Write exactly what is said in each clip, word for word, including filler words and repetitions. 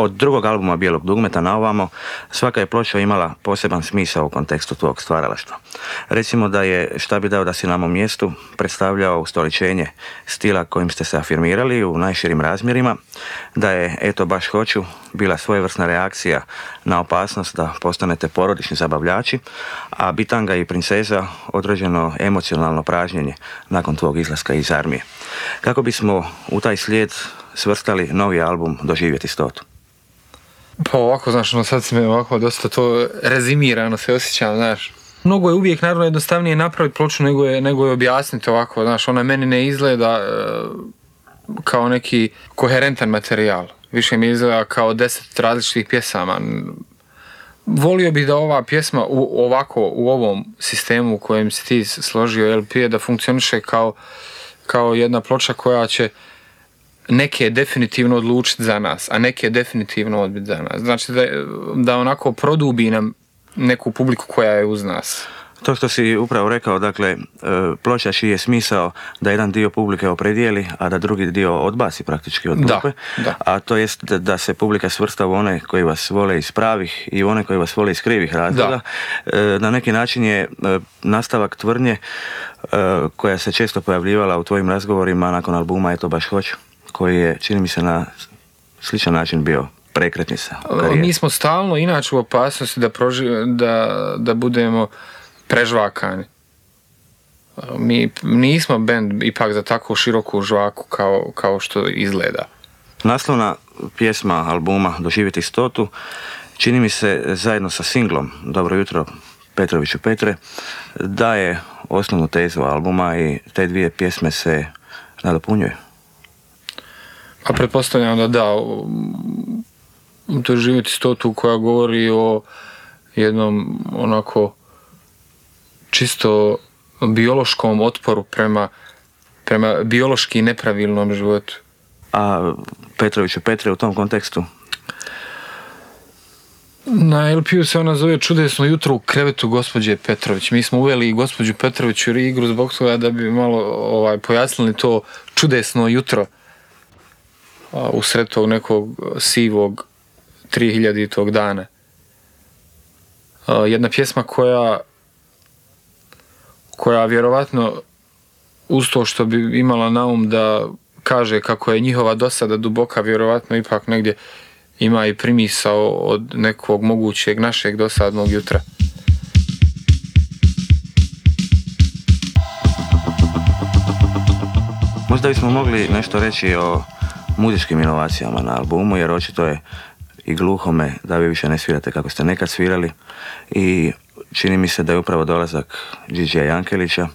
Od drugog albuma Bijelog dugmeta na ovamo, svaka je ploča imala poseban smisao u kontekstu tvog stvaralaštva. Recimo da je Šta bi dao da si na mom mjestu predstavljao ustoličenje stila kojim ste se afirmirali u najširim razmjerima, da je Eto baš hoću bila svojevrsna reakcija na opasnost da postanete porodični zabavljači, a Bitanga i Princeza određeno emocionalno pražnjenje nakon tvog izlaska iz armije. Kako bismo u taj slijed svrstali novi album Doživjeti stotu? Pa ovako, znaš, no sad si me ovako dosta to rezimirano se osjećam, znaš. Mnogo je uvijek, naravno, jednostavnije napraviti ploču nego je, nego je objasniti ovako, znaš, ona meni ne izgleda e, kao neki koherentan materijal. Više mi izgleda kao deset različitih pjesama. Volio bih da ova pjesma u, ovako, u ovom sistemu u kojem si ti složio L P da funkcioniše kao, kao jedna ploča koja će neke definitivno odlučiti za nas, a neke definitivno odbiti za nas. Znači da, da onako produbi nam neku publiku koja je uz nas. To što si upravo rekao, dakle, ploča čiji je smisao da jedan dio publike opredijeli, a da drugi dio odbaci praktički od grupe, da, da. A to jest da, da se publika svrsta u one koji vas vole iz pravih i u one koji vas vole iz krivih razloga. Da. Na neki način je nastavak tvrdnje koja se često pojavljivala u tvojim razgovorima nakon albuma Eto baš hoću, koji je, čini mi se, na sličan način bio prekretnica. Mi smo stalno inače u opasnosti da, proži, da, da budemo prežvakani. Mi nismo bend ipak za tako široku žvaku kao, kao što izgleda. Naslovna pjesma albuma Doživjeti stotu čini mi se zajedno sa singlom Dobro jutro Petroviću Petre daje osnovnu tezu albuma i te dvije pjesme se nadopunjuju. A pretpostavljam da da, Doživjeti stotu koja govori o jednom onako čisto biološkom otporu prema, prema biološki nepravilnom životu. A Petroviću Petre u tom kontekstu? Na L P-u se ona zove Čudesno jutro u krevetu gospođe Petrović. Mi smo uveli gospođu Petrović u igru zbog toga da bi malo ovaj, pojasnili to čudesno jutro usred tog nekog sivog trihiljaditog dana. Jedna pjesma koja koja vjerovatno uz to što bi imala na um da kaže kako je njihova dosada duboka, vjerovatno ipak negdje ima i primisao od nekog mogućeg našeg dosadnog jutra. Možda bismo mogli nešto reći o muzičkim inovacijama na albumu, jer očito je i gluhome da vi više ne svirate kako ste nekad svirali i čini mi se da je upravo dolazak Đidžija Jankelića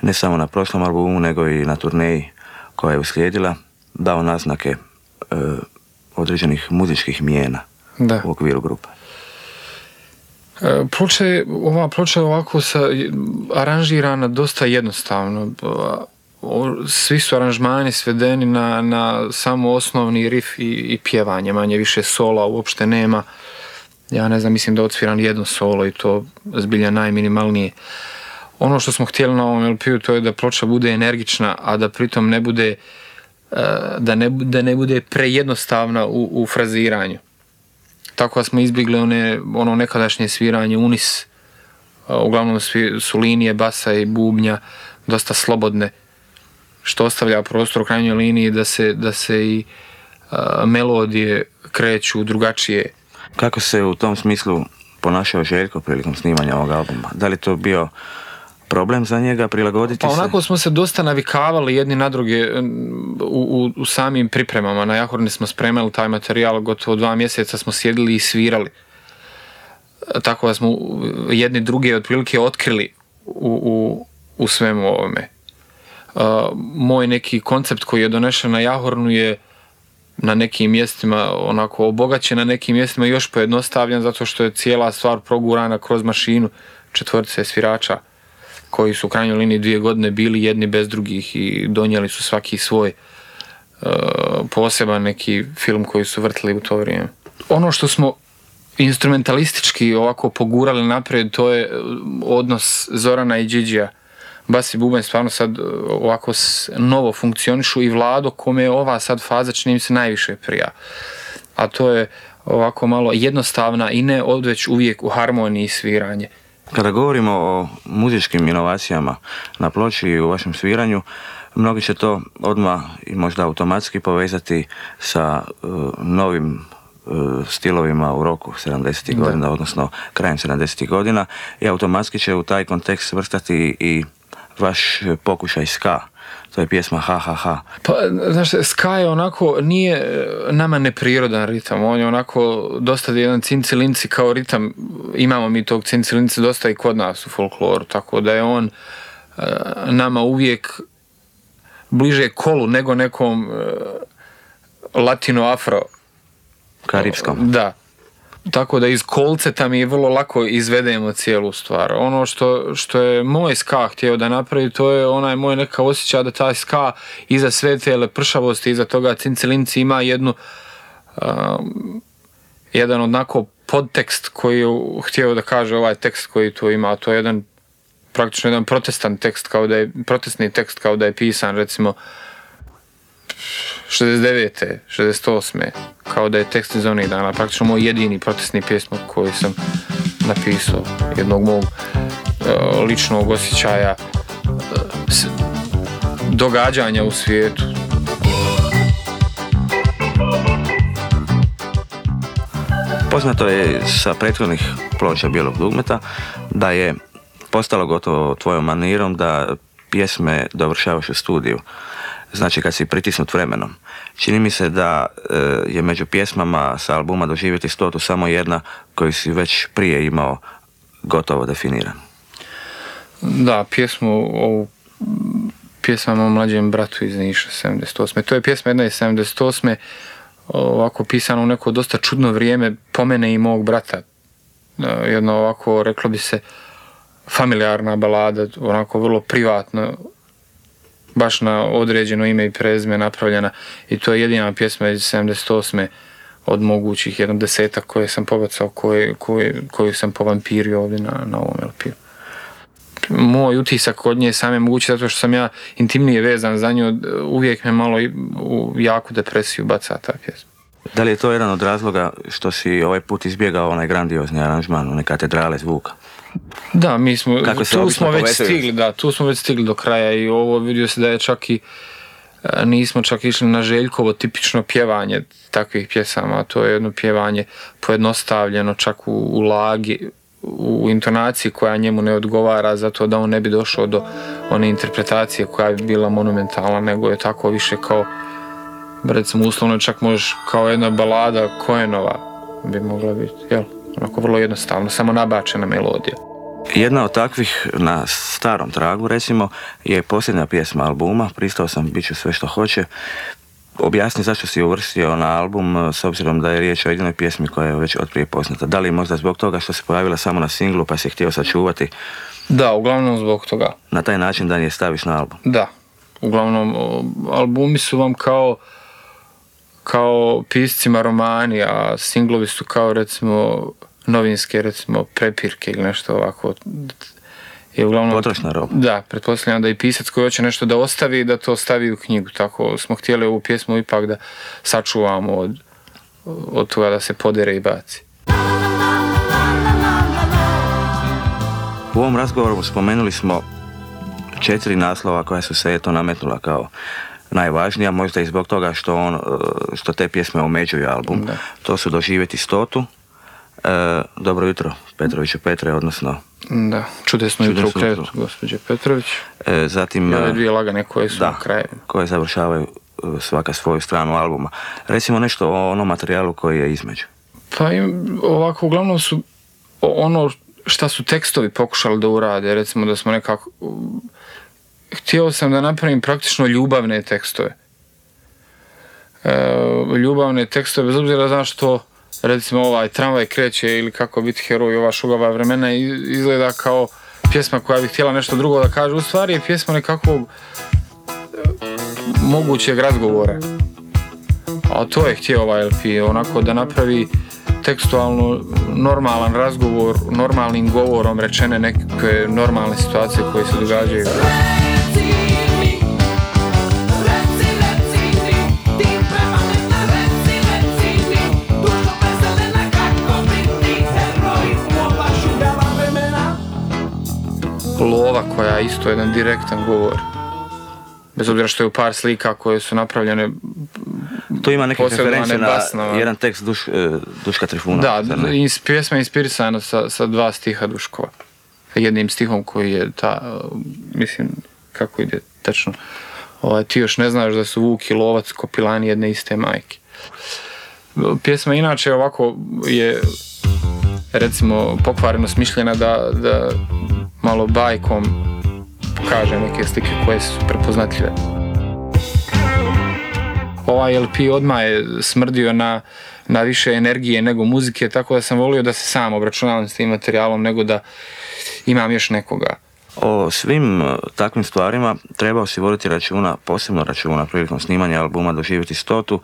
ne samo na prošlom albumu nego i na turneji koja je uslijedila dao naznake e, određenih muzičkih mijena da. U okviru grupe. E, ploča je, ova ploča je ovako sa, aranžirana dosta jednostavno. Svi su aranžmani svedeni na, na samo osnovni riff i, i pjevanje, manje više sola uopšte nema. Ja ne znam, mislim da odsviram jedno solo i to zbilja najminimalnije. Ono što smo htjeli na ovom L P-u to je da ploča bude energična, a da pritom ne bude da ne, da ne bude prejednostavna u, u fraziranju. Tako da smo izbjegli one, ono nekadašnje sviranje unis. Uglavnom su linije basa i bubnja dosta slobodne, što ostavlja prostor u krajnjoj liniji da se, da se i a, melodije kreću drugačije. Kako se u tom smislu ponašao Željko prilikom snimanja ovog albuma? Da li to bio problem za njega prilagoditi pa se? Pa onako smo se dosta navikavali jedni na druge u, u, u samim pripremama. Na Jahorni smo spremali taj materijal, gotovo dva mjeseca smo sjedili i svirali. Tako da smo jedni druge otprilike otkrili u, u, u svemu ovome. Uh, moj neki koncept koji je donešen na Jahornu je na nekim mjestima onako obogaćen, na nekim mjestima još pojednostavljen zato što je cijela stvar progurana kroz mašinu četvorce svirača koji su u krajnjoj liniji dvije godine bili jedni bez drugih i donijeli su svaki svoj uh, poseban neki film koji su vrtili u to vrijeme. Ono što smo instrumentalistički ovako pogurali naprijed, to je odnos Zorana i Đidžija. Bas i bubanj stvarno sad ovako novo funkcionišu i Vlado kome je ova sad faza čini mi se najviše prija. a to je ovako malo jednostavna i ne odveć uvijek u harmoniji sviranje. Kada govorimo o muzičkim inovacijama na ploči i u vašem sviranju, mnogi će to odmah i možda automatski povezati sa uh, novim uh, stilovima u roku sedamdesetih godina, odnosno krajem sedamdesetih godina, i automatski će u taj kontekst svrstati i vaš pokušaj ska. To je pjesma Ha Ha Ha. Pa, znaš, ska je onako, nije nama neprirodan ritam, on je onako dosta jedan cincilinci kao ritam, imamo mi tog cincilinci dosta i kod nas u folkloru, tako da je on uh, nama uvijek bliže kolu nego nekom uh, latino-afro karipskom. Da. Tako da iz kolceta mi je vrlo lako izvedemo cijelu stvar. Ono što, što je moj ska htio da napravi, to je onaj moj neka osjećaj da taj ska iza sve te lepršavosti, iza toga cincilinci ima jednu um, jedan onako podtekst koji je htio da kaže ovaj tekst koji tu ima, to je jedan praktično jedan protestan tekst, kao da je protestni tekst kao da je pisan recimo šezdeset devete šezdeset osme kao da je tekst iz onih dana, praktično moj jedini protestni pjesmok koji sam napisao, jednog mog uh, ličnog osjećaja uh, s, događanja u svijetu. Poznato je sa prethodnih ploča Bijelog dugmeta da je postalo gotovo tvojom manirom da pjesme dovršavaš u studiju. Znači kad si pritisnut vremenom. Čini mi se da e, je među pjesmama sa albuma Doživjeti stotu samo jedna koju si već prije imao gotovo definiran. Da, pjesmu o pjesmama o mlađem bratu iz Niša sedamdeset osme. To je pjesma jedna iz sedamdeset osme ovako pisana u neko dosta čudno vrijeme po mene i mog brata. Jedno ovako, reklo bi se, familijarna balada, onako vrlo privatno, baš na određeno ime i prezime napravljena, i to je jedina pjesma iz sedamdeset osme od mogućih jedan desetak koje sam pobacao, koje, koje, koju sam povampirio ovdje na, na ovom el pe-u. Moj utisak od nje sam je mogući zato što sam ja intimnije vezan za nju, uvijek me malo u jaku depresiju baca ta pjesma. Da li je to jedan od razloga što si ovaj put izbjegao onaj grandiozni aranžman, one katedrale zvuka? Da, mi smo, tu smo već stigli, da, tu smo već stigli do kraja i ovo vidio se da je čak i, nismo čak išli na Željkovo tipično pjevanje takvih pjesama, to je jedno pjevanje pojednostavljeno čak u, u lagi, u intonaciji koja njemu ne odgovara zato da on ne bi došao do one interpretacije koja bi bila monumentalna, nego je tako više kao, recimo uslovno čak možeš kao jedna balada Koenova bi mogla biti, jel? Onako vrlo jednostavno, samo nabačena melodija. Jedna od takvih na starom tragu, recimo, je posljednja pjesma albuma, Pristao sam, bit ću sve što hoće. Objasni zašto si uvrstio na album, s obzirom da je riječ o jedinoj pjesmi koja je već otprije poznata. Da li možda zbog toga što se pojavila samo na singlu pa si htio sačuvati? Da, uglavnom zbog toga. Na taj način da je staviš na album? Da, uglavnom albumi su vam kao kao piscima romani, a singlovi su kao recimo novinske recimo prepirke ili nešto ovako. I uglavnom, potrošna roba. Da, pretpostavljam da i pisac koji hoće nešto da ostavi, da to stavi u knjigu. Tako smo htjeli ovu pjesmu ipak da sačuvamo od, od toga da se podere i baci. U ovom razgovoru spomenuli smo četiri naslova koja su se eto nametnula kao najvažnija, možda i zbog toga što, on, što te pjesme omeđuju album. Da. To su Doživjeti stotu, e, Dobro jutro Petroviću Petre, odnosno da, čudesno jutro u krevetu gospođe Petrović. E, zatim, I ove dvije lagane koje su da, na kraju. Koje završavaju svaka svoju stranu albuma. Recimo nešto o onom materijalu koji je između. Pa im, ovako, uglavnom su ono šta su tekstovi pokušali da urade, recimo da smo nekako... Htio sam da napravim praktično ljubavne tekstove. E, ljubavne tekstove, bez obzira zašto recimo ovaj Tramvaj kreće ili Kako biti heroj, ova Šugava vremena izgleda kao pjesma koja bi htjela nešto drugo da kaže. U stvari je pjesma nekakvog mogućeg razgovora. A to je htio ovaj el pe, onako da napravi tekstualno normalan razgovor, normalnim govorom rečene neke normalne situacije koje se događaju. Kula koja je isto jedan direktan govor. Bez obzira što je u par slika koje su napravljene. Tu ima neke referencije na basnova. jedan tekst Duš, Duška Trifuna. Da, ins, pjesma je inspirisana sa, sa dva stiha Duškova. Jednim stihom koji je ta, mislim, kako ide tačno. Ovaj, ti još ne znaš da su Vuk i Lovac kopilani jedne iste majke. Pjesma inače ovako je, recimo, pokvareno smišljena da, da malo bajkom pokaže neke slike koje su prepoznatljive. Ovaj L P odmah je smrdio na, na više energije nego muzike, tako da sam volio da se sam obračunavam s tim materijalom nego da imam još nekoga. O svim takvim stvarima trebao si voditi računa, posebno računa prilikom snimanja albuma Doživjeti stotu,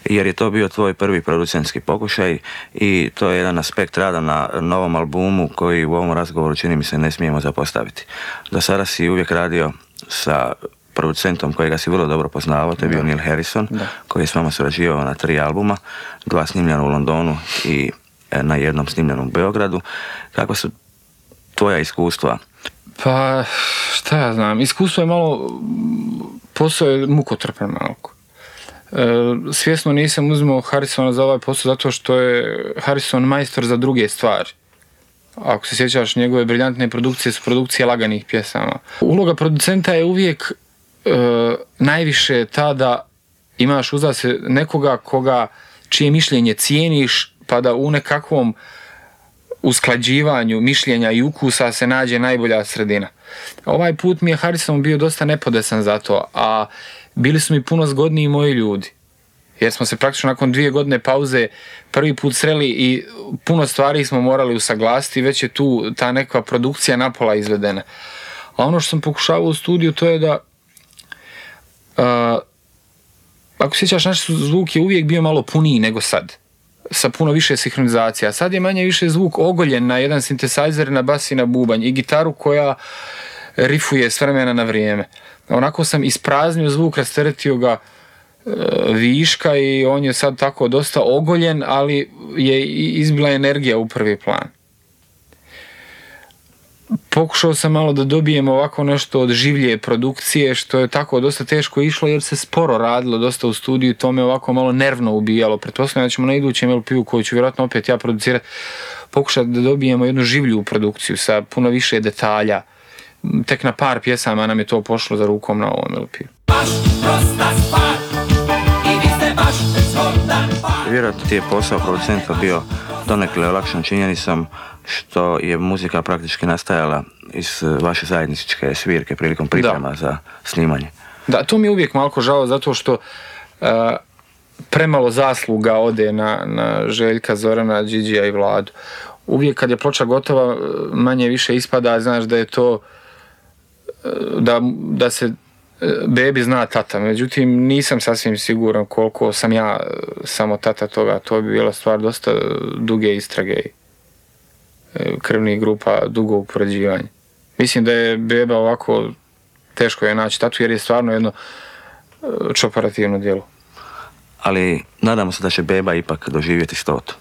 jer je to bio tvoj prvi producentski pokušaj i to je jedan aspekt rada na novom albumu koji u ovom razgovoru čini mi se ne smijemo zapostaviti. Do sada si uvijek radio sa producentom kojega si vrlo dobro poznavao, to je bio Neil Harrison, da. Koji je s vama surađivao na tri albuma, dva snimljena u Londonu i na jednom snimljenom u Beogradu. Kako su tvoja iskustva? Pa, šta ja znam, iskustvo je malo, posao je mukotrpan malko. E, svjesno nisam uzimao Harrisona za ovaj posao zato što je Harrison majstor za druge stvari. Ako se sjećaš, njegove briljantne produkcije su produkcije laganih pjesama. Uloga producenta je uvijek e, najviše ta da imaš uza se nekoga koga, čije mišljenje cijeniš, pa da u nekakvom usklađivanju mišljenja i ukusa se nađe najbolja sredina. Ovaj put mi je Harrison bio dosta nepodesan za to, a bili su mi puno zgodniji moji ljudi. Jer smo se praktično nakon dvije godine pauze prvi put sreli i puno stvari smo morali usaglasiti, već je tu ta neka produkcija napola izvedena. A ono što sam pokušavao u studiju to je da uh, ako sjećaš, naš zvuk je uvijek bio malo puniji nego sad, sa puno više sinhronizacija. Sad je manje više zvuk ogoljen na jedan sintesajzer, na bas i na bubanj i gitaru koja rifuje s vremena na vrijeme. Onako sam ispraznio zvuk, rasteretio ga e, viška i on je sad tako dosta ogoljen, ali je izbila energija u prvi plan. Pokušao sam malo da dobijem ovako nešto od življe produkcije, što je tako dosta teško išlo jer se sporo radilo dosta u studiju i to me ovako malo nervno ubijalo. Pretpostavljam da ćemo na idućem L P-u koju ću vjerojatno opet ja producirati pokušati da dobijemo jednu življu produkciju sa puno više detalja. Tek na par pjesama nam je to pošlo za rukom na ovom L P-u. Baš prosta stvar i vi ste baš zgodan par. Vjerojatno ti je posao producenta bio donekle olakšan činjenicom što je muzika praktički nastajala iz vaše zajedničke svirke prilikom priprema da. Za snimanje. Da, to mi je uvijek malko žao zato što uh, premalo zasluga ode na, na Željka, Zorana, Điđija i Vladu. Uvijek kad je ploča gotova manje više ispada, znaš da je to da, da se bebi zna tata, međutim nisam sasvim siguran koliko sam ja samo tata toga, to bi bila stvar dosta duge istrage krvnih grupa, dugo upoređivanje. Mislim da je beba ovako teško je naći tatu jer je stvarno jedno čoparativno djelo. Ali nadamo se da će beba ipak doživjeti stotu.